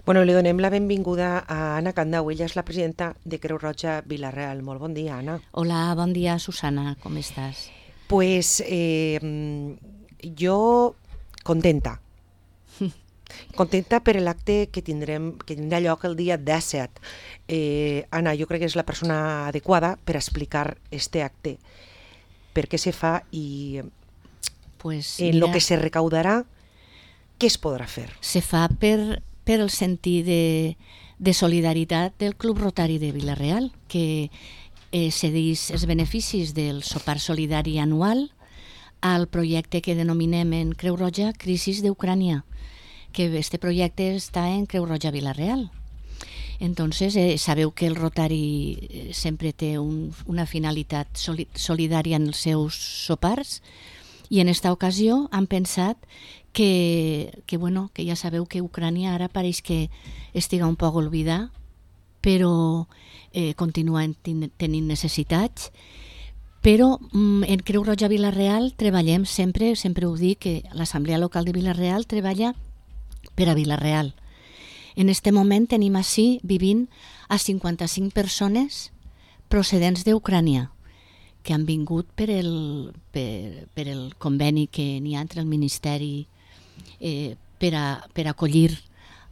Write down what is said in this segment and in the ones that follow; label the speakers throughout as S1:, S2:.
S1: Bueno, li donem la benvinguda a Anna Candau. Ella és la presidenta de Creu Roja Vila-real. Molt bon dia, Anna.
S2: Hola, bon dia, Susana, com estàs?
S1: Pues jo contenta. Contenta per l'acte que tindrà lloc el dia 17. Anna, jo crec que és la persona adequada per explicar este acte. Per què se fa i
S2: Pues,
S1: en lo
S2: mira,
S1: que se recaudarà, què es podrà fer?
S2: se fa per el sentit de solidaritat del Club Rotari de Vila-real, que cedeix els beneficis del sopar solidari anual al projecte que denominem en Creu Roja Crisis d'Ucrània, que este projecte està en Creu Roja Vila-real. Entonces, sabeu que el Rotari sempre té una finalitat solidària en els seus sopars, i en esta ocasió han pensat que ja sabeu que Ucrània ara pareix que estiga un poc oblidada, però continua tenint necessitats. Però en Creu Roja Vila-real treballem sempre ho dic, que l'Assemblea Local de Vila-real treballa per a Vila-real. En este moment tenim així vivint a 55 persones procedents d'Ucrània, que han vingut per el conveni que n'hi ha entre el Ministeri per acollir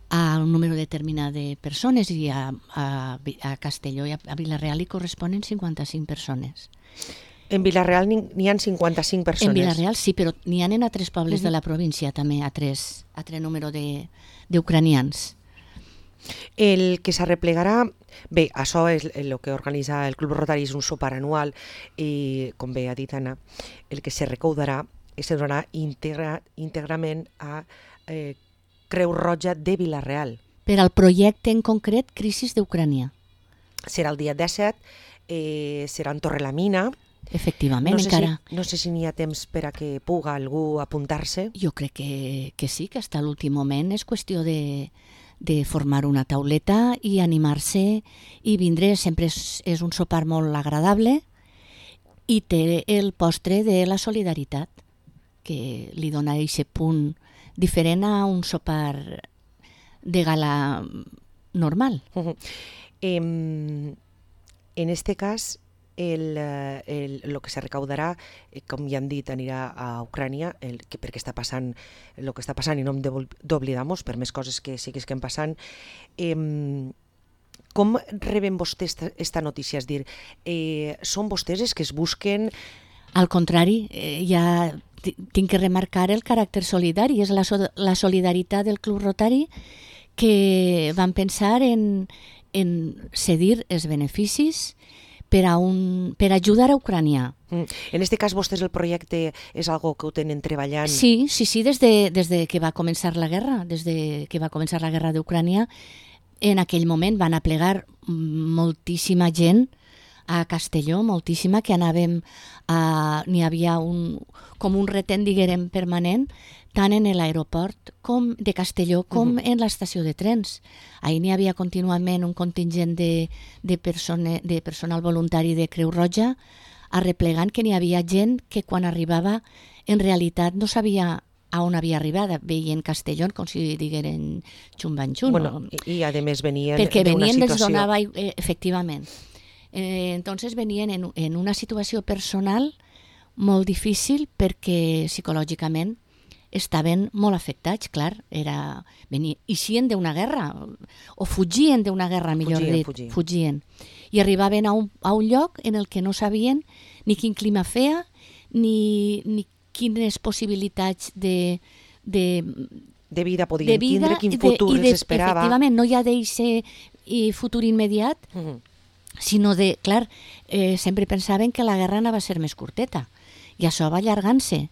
S2: a un número determinat de persones, i a Castelló i a Vila-real hi corresponen 55 persones.
S1: En Vila-real n'hi ha 55 persones.
S2: En Vila-real sí, però n'hi ha en altres pobles de la província també, altres número d'ucranians.
S1: El que s'arreplegarà... Bé, això és el que organitza el Club Rotari, és un sopar anual, i com bé ha dit Anna, el que se recaudarà es donarà íntegrament a Creu Roja de Vila-real.
S2: Per al projecte en concret Crisis d'Ucrània.
S1: Serà el dia 17, serà en Torrelamina.
S2: Efectivament, encara.
S1: No sé si n'hi ha temps per a que puga algú apuntar-se.
S2: Jo crec que sí, que hasta l'últim moment és qüestió de formar una tauleta i animar-se i vindre. Sempre és un sopar molt agradable i té el postre de la solidaritat, que li dona aquest punt diferent a un sopar de gala normal.
S1: En este cas, el que se recaudarà, com ja han dit, anirà a Ucrània, perquè està passant el que està passant, i no hem d'oblidar-nos per més coses que siguin passant. Com reben vostès esta notícia? És dir, són vostès els que es busquen...
S2: Al contrari, ja tinc que remarcar el caràcter solidari. És la solidaritat del Club Rotari, que van pensar en cedir els beneficis per ajudar a Ucrània.
S1: En aquest cas, vostès el projecte és algo que ho tenen treballant?
S2: Sí, des de que va començar la guerra, d'Ucrània. En aquell moment van aplegar moltíssima gent a Castelló, moltíssima, que anàvem n'hi havia com un retent, diguem, permanent, tant en l'aeroport de Castelló com en l'estació de trens. Ahir n'hi havia contínuament un contingent de personal voluntari de Creu Roja arreplegant, que n'hi havia gent que quan arribava en realitat no sabia a on havia arribat, veien Castelló com si digueren xumbanxun.
S1: Bueno, i a més venien
S2: perquè
S1: d'una
S2: venien
S1: situació...
S2: donava, efectivament. Entonces venien en una situació personal molt difícil, perquè psicològicament estaven molt afectats, clar. Eixien d'una guerra, o fugien d'una guerra, millor dit. Fugien. I arribaven a un lloc en el que no sabien ni quin clima feia, ni quines possibilitats de
S1: vida podien tindre, quin futur els esperava.
S2: Efectivament, no hi ha d'aquest futur immediat, sinó clar, sempre pensaven que la guerra anava a ser més curteta, i això va allargant-se.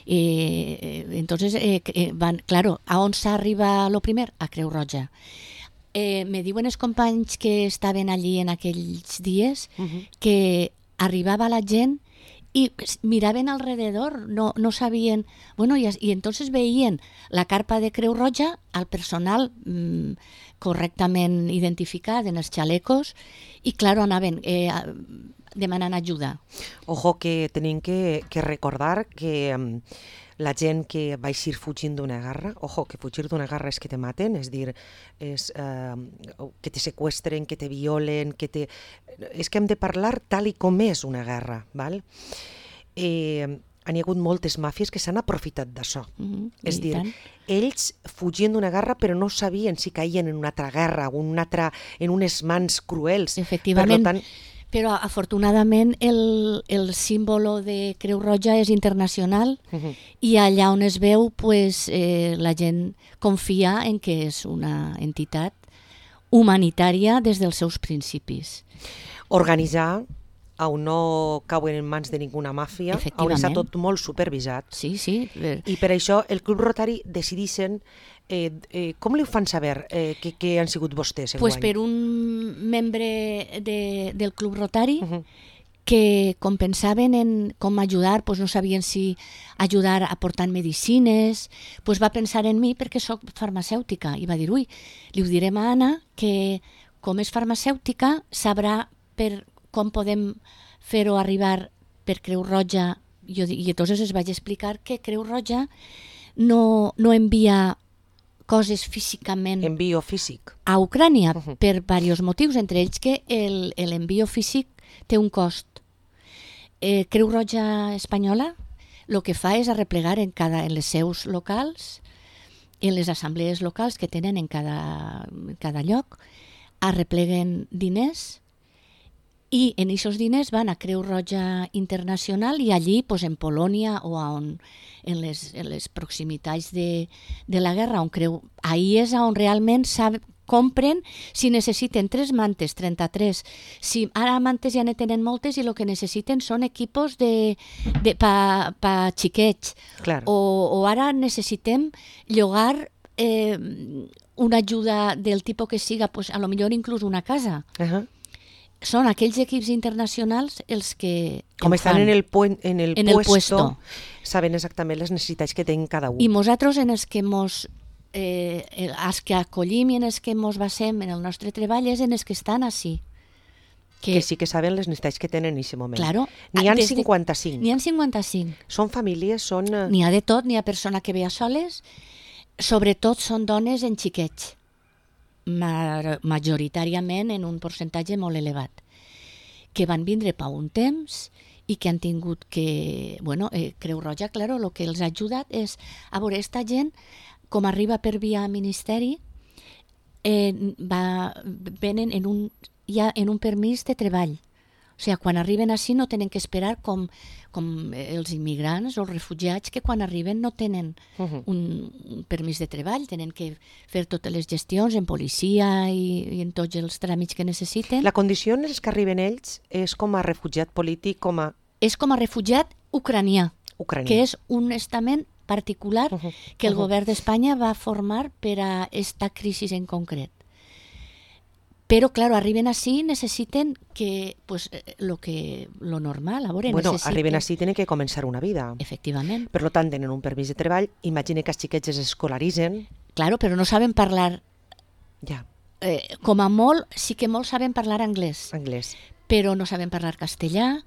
S2: Entonces, claro, a on s'arriba lo primer? A Creu Roja. Me diuen els companys que estaven allí en aquells dies que arribava la gent i miraven alrededor, no sabien... Bueno, i entonces veien la carpa de Creu Roja, al personal correctament identificat en els xalecos, i claro, anaven demanant ajuda.
S1: Ojo, que tenim que recordar que la gent que va eixir fugint d'una guerra, ojo, que fugir d'una guerra és que te maten, és dir, és, que te seqüestren, que te violen, és que hem de parlar tal i com és una guerra, val? Han hi hagut moltes màfies que s'han aprofitat d'això. És dir, ells fugien d'una guerra però no sabien si caien en una altra guerra o en unes mans cruels.
S2: Efectivament, però afortunadament el símbolo de Creu Roja és internacional i allà on es veu pues, la gent confia en que és una entitat humanitària des dels seus principis.
S1: Organitzar on no cauen en mans de ninguna màfia, on està tot molt supervisat.
S2: Sí, sí.
S1: I per això el Club Rotari decideixen, com li ho fan saber que han sigut vostès enguany?
S2: Pues per un membre del Club Rotari que com pensaven en com ajudar, pues no sabien si ajudar aportant medicines, pues va pensar en mi perquè sóc farmacèutica i va dir, ui, li ho direm a Anna que com és farmacèutica sabrà com podem fer-ho arribar per Creu Roja. I llavors es vaig explicar que Creu Roja no envia coses físicament
S1: envio físic
S2: a Ucrània per diversos motius, entre ells que l'envio físic té un cost. Creu Roja espanyola el que fa és arreplegar en les seus locals, en les assemblees locals que tenen en cada lloc, arrepleguen diners i en aquests diners van a Creu Roja Internacional i allí, pues, en Polònia o en les proximitats de la guerra, ahí és on realment compren si necessiten 3 mantes, 33. Si ara mantes ja ne tenen moltes i el que necessiten són equipos pa xiquets.
S1: Claro.
S2: O ara necessitem llogar una ajuda del tipus que siga, pues, a lo millor inclús una casa. Són aquells equips internacionals els que
S1: com estan en el puesto, saben exactament les necessitats que tenen cada un.
S2: I nosaltres en els que acollim i en els que ens basem en el nostre treball és en els que estan així.
S1: Que sí que saben les necessitats que tenen en aquest moment.
S2: Claro.
S1: N'hi ha 55.
S2: N'hi ha 55.
S1: Són famílies, són...
S2: N'hi ha de tot, n'hi ha persona que ve a soles, sobretot són dones en xiquets. Majoritàriament en un percentatge molt elevat, que van vindre per un temps i que han tingut que... Creu Roja, claro, el que els ha ajudat és... A veure, esta gent, com arriba per via ministeri, venen en un permís de treball. O sigui, quan arriben així no tenen que esperar com els immigrants o els refugiats que quan arriben no tenen un permís de treball, tenen que fer totes les gestions en policia i en tots els tràmits que necessiten.
S1: La condició en els que arriben ells és com a refugiat polític,
S2: És com a refugiat ucranià, que és un estament particular que el govern d'Espanya va formar per a esta crisi en concret. Però, claro, arriben així, necessiten que, pues, lo normal.
S1: Arriben així, tenen que començar una vida.
S2: Efectivament.
S1: Per tant, tenen un permís de treball, imagina que els xiquets es escolaritzen.
S2: Claro, però no saben parlar.
S1: Ja.
S2: Com a molt, sí que molts saben parlar anglès.
S1: Anglès.
S2: Però no saben parlar castellà,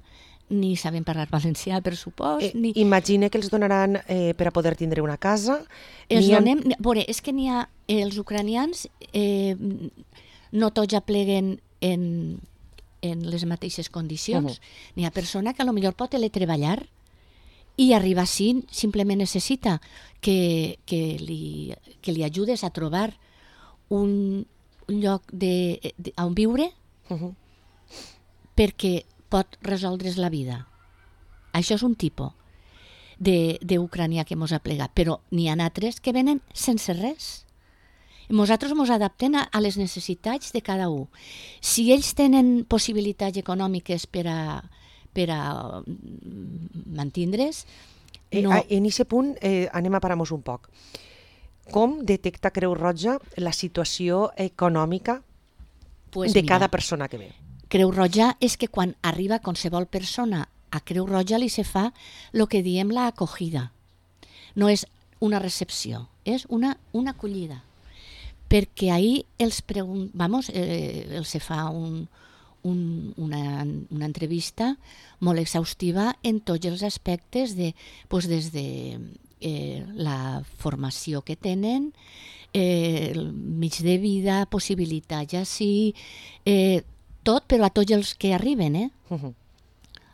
S2: ni saben parlar valencià, per supòs.
S1: Imagina que els donaran per a poder tindre una casa.
S2: És que n'hi ha els ucranians... no tots ja pleguen en les mateixes condicions. N'hi ha persona que potser pot teletreballar i arribar així simplement necessita que li ajudes a trobar un lloc on viure perquè pot resoldre's la vida. Això és un tipus d'ucranià que mos ha plegat, però n'hi ha altres que venen sense res. Nosaltres ens adaptem a les necessitats de cada un. Si ells tenen possibilitats econòmiques per a mantindre's...
S1: En aquest punt anem a parar-nos un poc. Com detecta Creu Roja la situació econòmica de cada persona que ve?
S2: Creu Roja és que quan arriba qualsevol persona a Creu Roja li se fa el que diem la acogida. No és una recepció, és una acollida. Perquè ahí els se fa un una entrevista molt exhaustiva en tots els aspectes, des de la formació que tenen, el mig de vida, possibilitat ja sí, tot, però a tots els que arriben.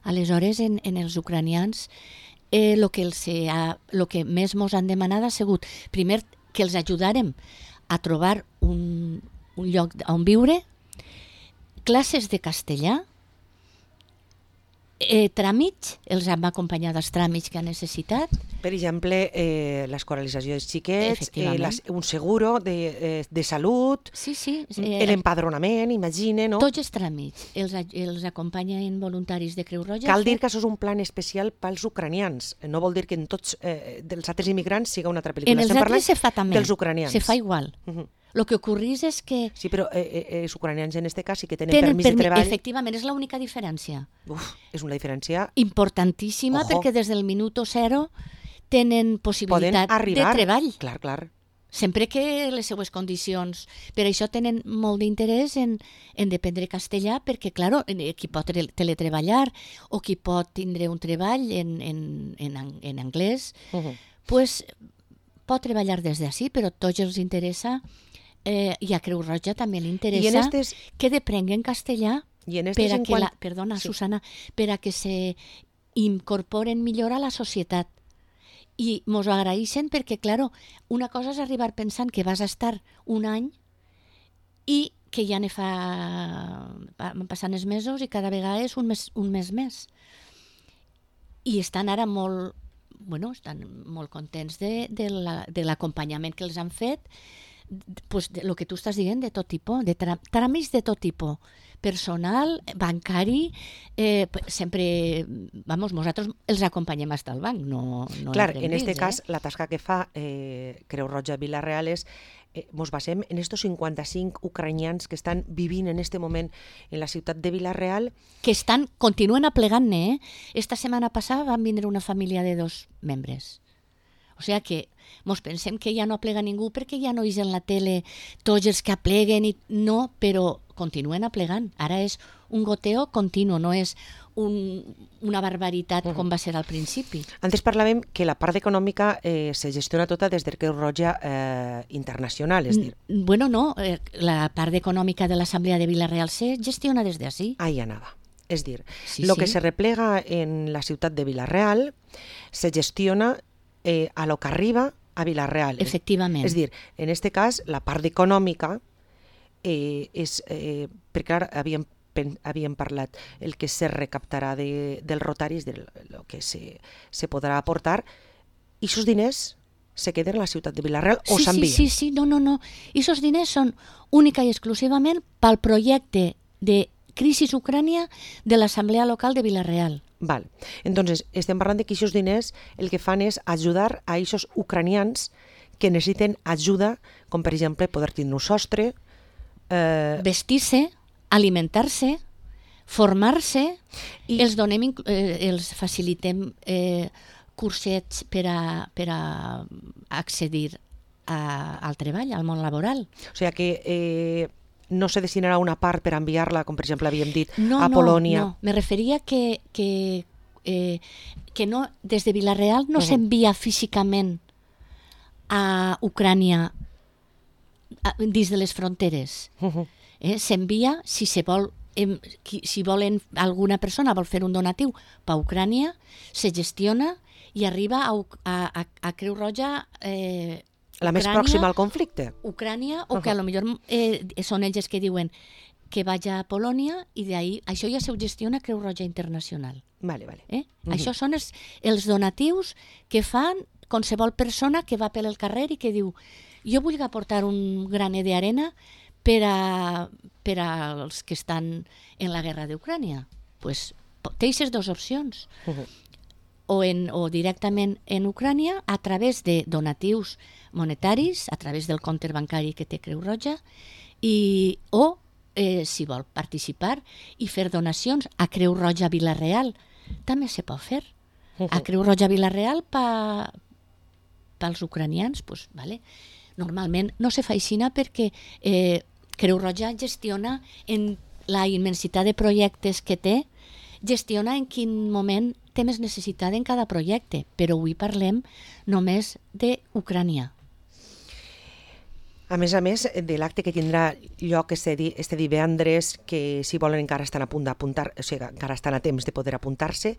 S2: Aleshores, en els ucranians, el que més ens han demanat ha sigut, primer, que els ajudarem a trobar un lloc on viure, classes de castellà, tràmits, els hem acompanyat als tràmits que han necessitat.
S1: Per exemple, l'escolarització dels xiquets, un seguro de salut, l'empadronament, imagina, no?
S2: Tots els tràmits els acompanyen voluntaris de Creu Roja.
S1: Cal dir que això és un plan especial pels ucranians. No vol dir que en tots els altres immigrants siga una altra pel·lícula.
S2: En els altres se fa també.
S1: Dels ucranians.
S2: Se fa igual. Lo que ocorrís és que...
S1: Sí, però els ucranians en aquest cas sí que tenen permís de treball.
S2: Efectivament, és l'única diferència.
S1: És una diferència...
S2: importantíssima, perquè des del minut 0 tenen possibilitat de treball.
S1: Clar.
S2: Sempre que les seues condicions... Per això tenen molt d'interès en dependre castellà, perquè, clar, qui pot teletreballar o qui pot tindre un treball en anglès, pues, pot treballar des d'ací, però a tots els interessa... I a Creu Roja també li interessa que deprenguen castellà Susana, per a que se incorporen millor a la societat. I mos ho agraeixen perquè, clar, una cosa és arribar pensant que vas estar un any i que ja van passant els mesos i cada vegada és un mes més. I estan ara molt contents de l'acompanyament que els han fet, pues el que tu estàs dient, de tot tipus, de tràmits de tot tipus, personal, bancari, sempre, nosaltres els acompanyem fins al banc.
S1: Clar, en aquest cas, la tasca que fa Creu Roja Vila-real és, ens basem en estos 55 ucranians que estan vivint en aquest moment en la ciutat de Vila-real.
S2: Que continuen aplegant-ne, Esta setmana passada van vindre una família de 2 membres. O sigui que mos pensem que ja no aplega ningú perquè ja no és en la tele tots els que apleguen, no, però continuen aplegant. Ara és un goteo continu, no és una barbaritat com va ser al principi.
S1: Antes parlàvem que la part econòmica se gestiona tota des de Creu Roja Internacional, és dir...
S2: Bueno, no, la part econòmica de l'Assemblea de Vila-real se gestiona des d'ací.
S1: Ahí anava. És dir, lo que se replega en la ciutat de Vila-real se gestiona a lo que arriba a Vila-real.
S2: Efectivament.
S1: És dir, en aquest cas, la part econòmica és... perquè ara havíem parlat el que se recaptarà dels rotaris, del que se podrà aportar, i aquests diners se queden a la ciutat de Vila-real o s'envien?
S2: Sí, no. I aquests diners són única i exclusivament pel projecte de Crisis Ucrània de l'Assemblea Local de Vila-real.
S1: Val. Entonces, estem parlant de que aquests diners el que fan és ajudar a aquests ucranians que necessiten ajuda, com per exemple poder tindre un sostre,
S2: vestir-se, alimentar-se, formar-se, i els facilitem cursets per a accedir al treball, al món laboral.
S1: O sigui que no se destinarà una part per enviar-la, com per exemple havíem dit, a Polònia.
S2: No, me referia que no, des de Vila-real no s'envia físicament a Ucrània dins de les fronteres. S'envia, si alguna persona vol fer un donatiu per Ucrània, se gestiona i arriba a Creu Roja
S1: la més pròxima al conflicte.
S2: Ucrània, o que a lo millor són ells que diuen que vaig a Polònia i d'ahí, això ja se gestiona Creu Roja Internacional.
S1: Vale.
S2: Això són els donatius que fan qualsevol persona que va pel carrer i que diu jo vull aportar un graner d'arena per als que estan en la guerra d'Ucrània. Pues, té aquestes dues opcions. O directament en Ucrània a través de donatius monetaris, a través del compte bancari que té Creu Roja, o si vol participar i fer donacions a Creu Roja Vila-real, també se pot fer. A Creu Roja Vila-real pels ucranians, pues, vale. Normalment no se fa així perquè Creu Roja gestiona en la immensitat de projectes que té, gestiona en quin moment té més necessitat en cada projecte, però avui parlem només d'Ucrània.
S1: A més, de l'acte que tindrà lloc este divendres, que si volen encara estan a punt d'apuntar, o sigui, encara estan a temps de poder apuntar-se.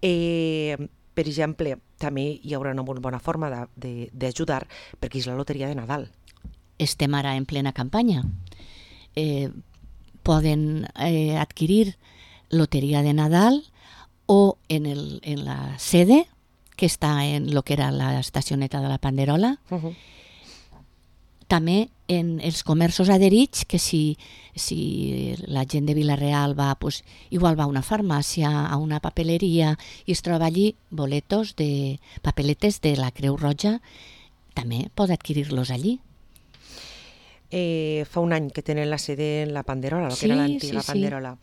S1: Per exemple, també hi haurà una molt bona forma d'ajudar, perquè és la loteria de Nadal.
S2: Estem ara en plena campanya. Poden adquirir loteria de Nadal o en la sede, que està en lo que era la estacioneta de la Panderola, també en els comerços adherits, que si la gent de Vila-real va, pues, igual va a una farmàcia, a una papeleria, i es troba allí boletos de papeletes de la Creu Roja, també pot adquirir-los allí.
S1: Fa un any que tenen la sede en la Panderola, que era l'antiga Panderola.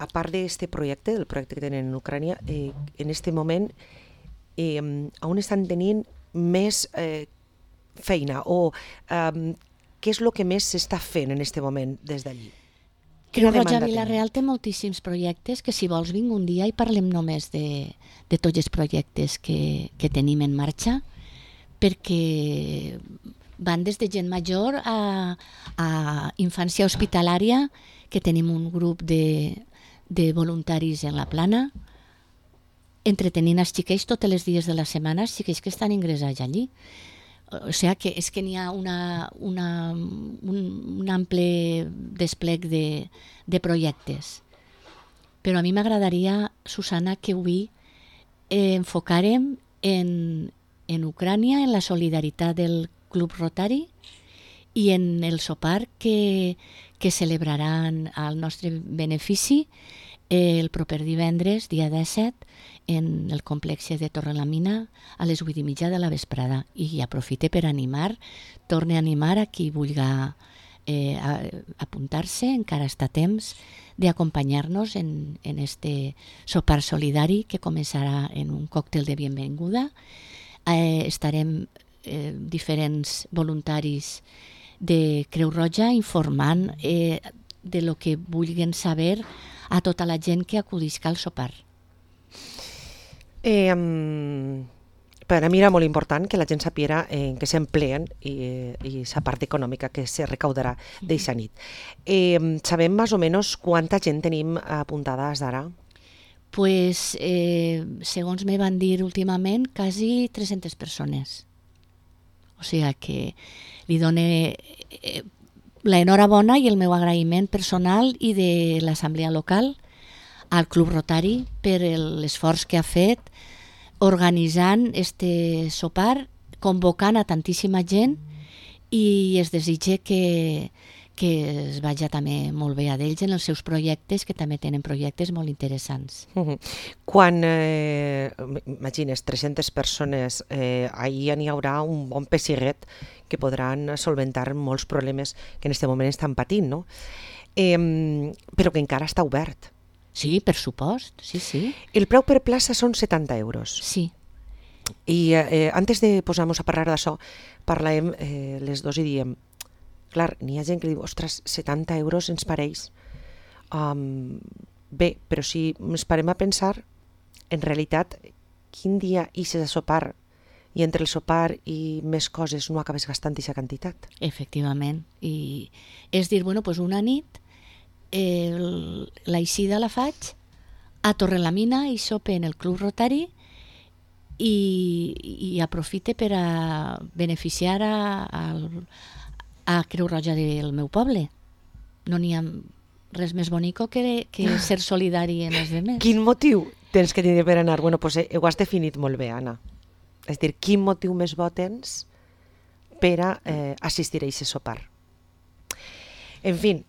S1: A part d'aquest projecte, del projecte que tenen en Ucrània, en aquest moment, on estan tenint més feina, o què és el que més s'està fent en aquest moment des d'allí?
S2: Creu Roja Vila-real té moltíssims projectes que, si vols, vinc un dia i parlem només de tots els projectes que tenim en marxa, perquè van des de gent major a infància hospitalària, que tenim un grup de voluntaris en la Plana, entretenint els xiquets tots els dies de la setmana, els xiquets que estan ingressats allí. O sigui que és que n'hi ha un ample desplec de projectes. Però a mi m'agradaria, Susana, que avui enfocàrem en Ucrània, en la solidaritat del Club Rotari i en el sopar que celebraran al nostre benefici el proper divendres, dia 17, en el complex de Torrelamina a les 8:30 de la vesprada. I aprofite per torne a animar a qui vulgui apuntar-se, encara està a temps d'acompanyar-nos en este sopar solidari que començarà en un còctel de benvinguda. Estarem diferents voluntaris de Creu Roja informant de lo que vulguin saber a tota la gent que acudisca al sopar.
S1: Per a mi era molt important que la gent sapiera en què s'empleen i la part econòmica que se recaudarà d'aquesta nit. Sabem més o menys quanta gent tenim apuntada d'ara?
S2: Pues, segons me van dir últimament, quasi 300 persones. O sigui que li dono l'enhorabona i el meu agraïment personal i de l'assemblea local al Club Rotari per l'esforç que ha fet organitzant este sopar, convocant a tantíssima gent, i es desitja que es vagi també molt bé a d'ells en els seus projectes, que també tenen projectes molt interessants.
S1: Quan, imagines, 300 persones, ahir n'hi haurà un bon pessiguet que podran solventar molts problemes que en aquest moment estan patint, no? Però que encara està obert.
S2: Sí, per supost, sí.
S1: El preu per plaça són 70 euros.
S2: Sí.
S1: I antes de posar-nos a parlar d'això, parlàvem les dos i diem, clar, n'hi ha gent que diu, ostres, 70 euros ens pareix. Bé, però si ens parem a pensar, en realitat, quin dia ixes a sopar i entre el sopar i més coses no acabes gastant aquesta quantitat?
S2: Efectivament. I és dir, bueno, pues una nit l'eixida la faig a Torrelamina i sope en el Club Rotari i aprofite per a beneficiar a Creu Roja del meu poble. No n'hi ha res més bonico que ser solidari en els demés.
S1: Quin motiu tens que tindre per anar? Bueno, pues ho has definit molt bé, Anna. És dir, quin motiu més bo tens per a assistir a aquest sopar? En fi,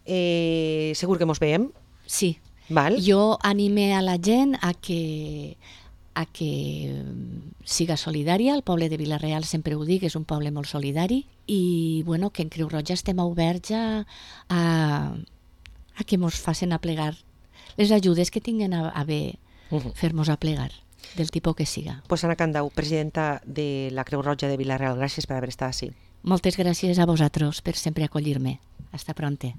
S1: segur que mos veiem?
S2: Sí.
S1: Val?
S2: Jo anime a la gent a que siga solidària. El poble de Vila-real, sempre ho dic, és un poble molt solidari, i bueno, que en Creu Roja estem oberts a que mos facin aplegar les ajudes que tinguen a bé fer-nos aplegar, del tipus que siga.
S1: Pues Anna Candau, presidenta de la Creu Roja de Vila-real, gràcies per haver estat així.
S2: Moltes gràcies a vosaltres per sempre acollir-me. Hasta pronto.